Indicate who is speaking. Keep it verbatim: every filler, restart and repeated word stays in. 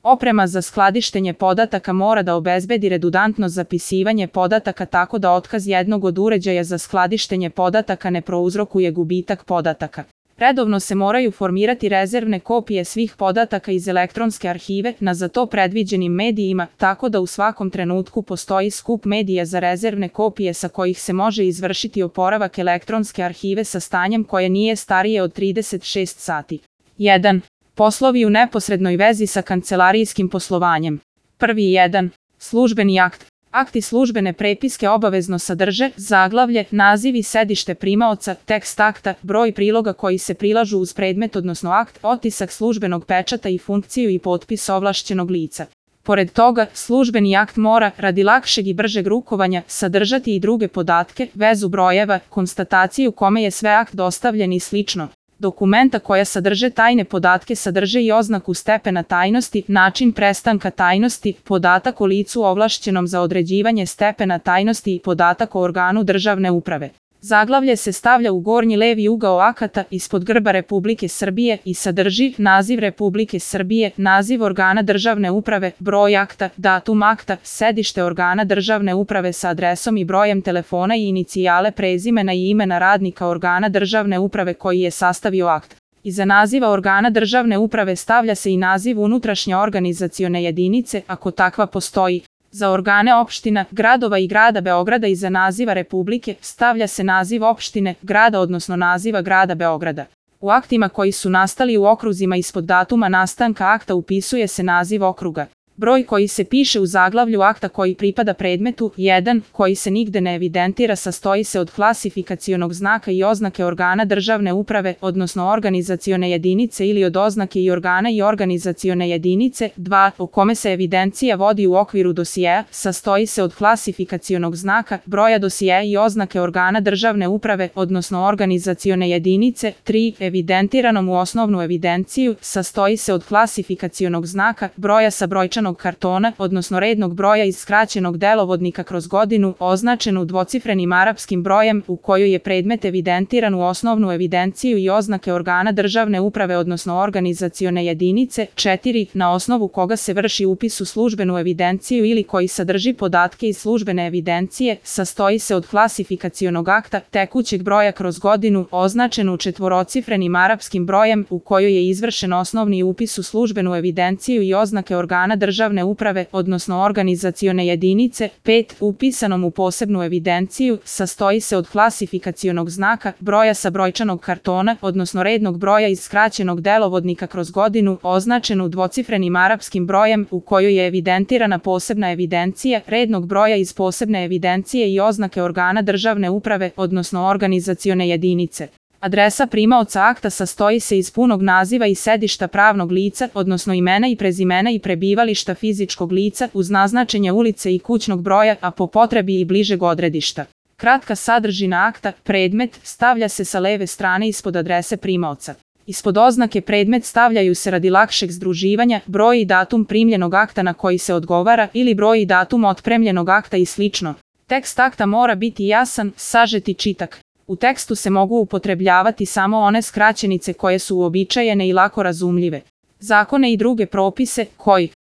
Speaker 1: Oprema za skladištenje podataka mora da obezbedi redundantno zapisivanje podataka tako da otkaz jednog od uređaja za skladištenje podataka ne prouzrokuje gubitak podataka. Redovno se moraju formirati rezervne kopije svih podataka iz elektronske arhive na za to predviđenim medijima, tako da u svakom trenutku postoji skup medija za rezervne kopije sa kojih se može izvršiti oporavak elektronske arhive sa stanjem koje nije starije od trideset šest sati. jedan. Poslovi u neposrednoj vezi sa kancelarijskim poslovanjem. Prvi jedan. Službeni akt. Akti službene prepiske obavezno sadrže zaglavlje, naziv i sedište primaoca, tekst akta, broj priloga koji se prilažu uz predmet odnosno akt, otisak službenog pečata i funkciju i potpis ovlašćenog lica. Pored toga, službeni akt mora, radi lakšeg i bržeg rukovanja, sadržati i druge podatke, vezu brojeva, konstataciju kome je sve akt dostavljen i slično. Dokumenta koja sadrže tajne podatke sadrže i oznaku stepena tajnosti, način prestanka tajnosti, podatak o licu ovlašćenom za određivanje stepena tajnosti i podatak o organu državne uprave. Zaglavlje se stavlja u gornji levi ugao akata ispod grba Republike Srbije i sadrži naziv Republike Srbije, naziv organa državne uprave, broj akta, datum akta, sedište organa državne uprave sa adresom i brojem telefona i inicijale prezimena i imena radnika organa državne uprave koji je sastavio akt. Iza naziva organa državne uprave stavlja se i naziv unutrašnje organizacione jedinice, ako takva postoji. Za organe opština, gradova i grada Beograda iza naziva Republike stavlja se naziv opštine, grada odnosno naziva grada Beograda. U aktima koji su nastali u okruzima ispod datuma nastanka akta upisuje se naziv okruga. Broj koji se piše u zaglavlju akta koji pripada predmetu, jedan, koji se nigde ne evidentira sastoji se od klasifikacionog znaka i oznake organa državne uprave, odnosno organizacione jedinice ili od oznake i organa i organizacione jedinice, dva, o kome se evidencija vodi u okviru dosijeja, sastoji se od klasifikacionog znaka, broja dosijeja i oznake organa državne uprave, odnosno organizacione jedinice, tri, evidentiranom u osnovnu evidenciju, sastoji se od klasifikacionog znaka, broja sa brojčanom kartona, odnosno rednog broja iz skraćenog delovodnika kroz godinu, označenu dvocifrenim arapskim brojem, u kojoj je predmet evidentiran u osnovnu evidenciju i oznake organa državne uprave, odnosno organizacione jedinice, četiri, na osnovu koga se vrši upis u službenu evidenciju ili koji sadrži podatke iz službene evidencije, sastoji se od klasifikacionog akta, tekućeg broja kroz godinu, označenu četvorocifrenim arapskim brojem, u kojoj je izvršen osnovni upis u službenu evidenciju i oznake organa državne državne uprave, odnosno organizacione jedinice, pet, upisanom u posebnu evidenciju, sastoji se od klasifikacionog znaka, broja sa brojčanog kartona, odnosno rednog broja iz skraćenog delovodnika kroz godinu, označenu dvocifrenim arapskim brojem, u kojoj je evidentirana posebna evidencija, rednog broja iz posebne evidencije i oznake organa državne uprave, odnosno organizacione jedinice. Adresa primaoca akta sastoji se iz punog naziva i sedišta pravnog lica, odnosno imena i prezimena i prebivališta fizičkog lica uz naznačenje ulice i kućnog broja, a po potrebi i bližeg odredišta. Kratka sadržina akta, predmet, stavlja se sa leve strane ispod adrese primaoca. Ispod oznake predmet stavljaju se radi lakšeg združivanja broj i datum primljenog akta na koji se odgovara ili broj i datum otpremljenog akta i slično. Tekst akta mora biti jasan, sažet i čitak. U tekstu se mogu upotrebljavati samo one skraćenice koje su uobičajene i lako razumljive. Zakone i druge propise, koji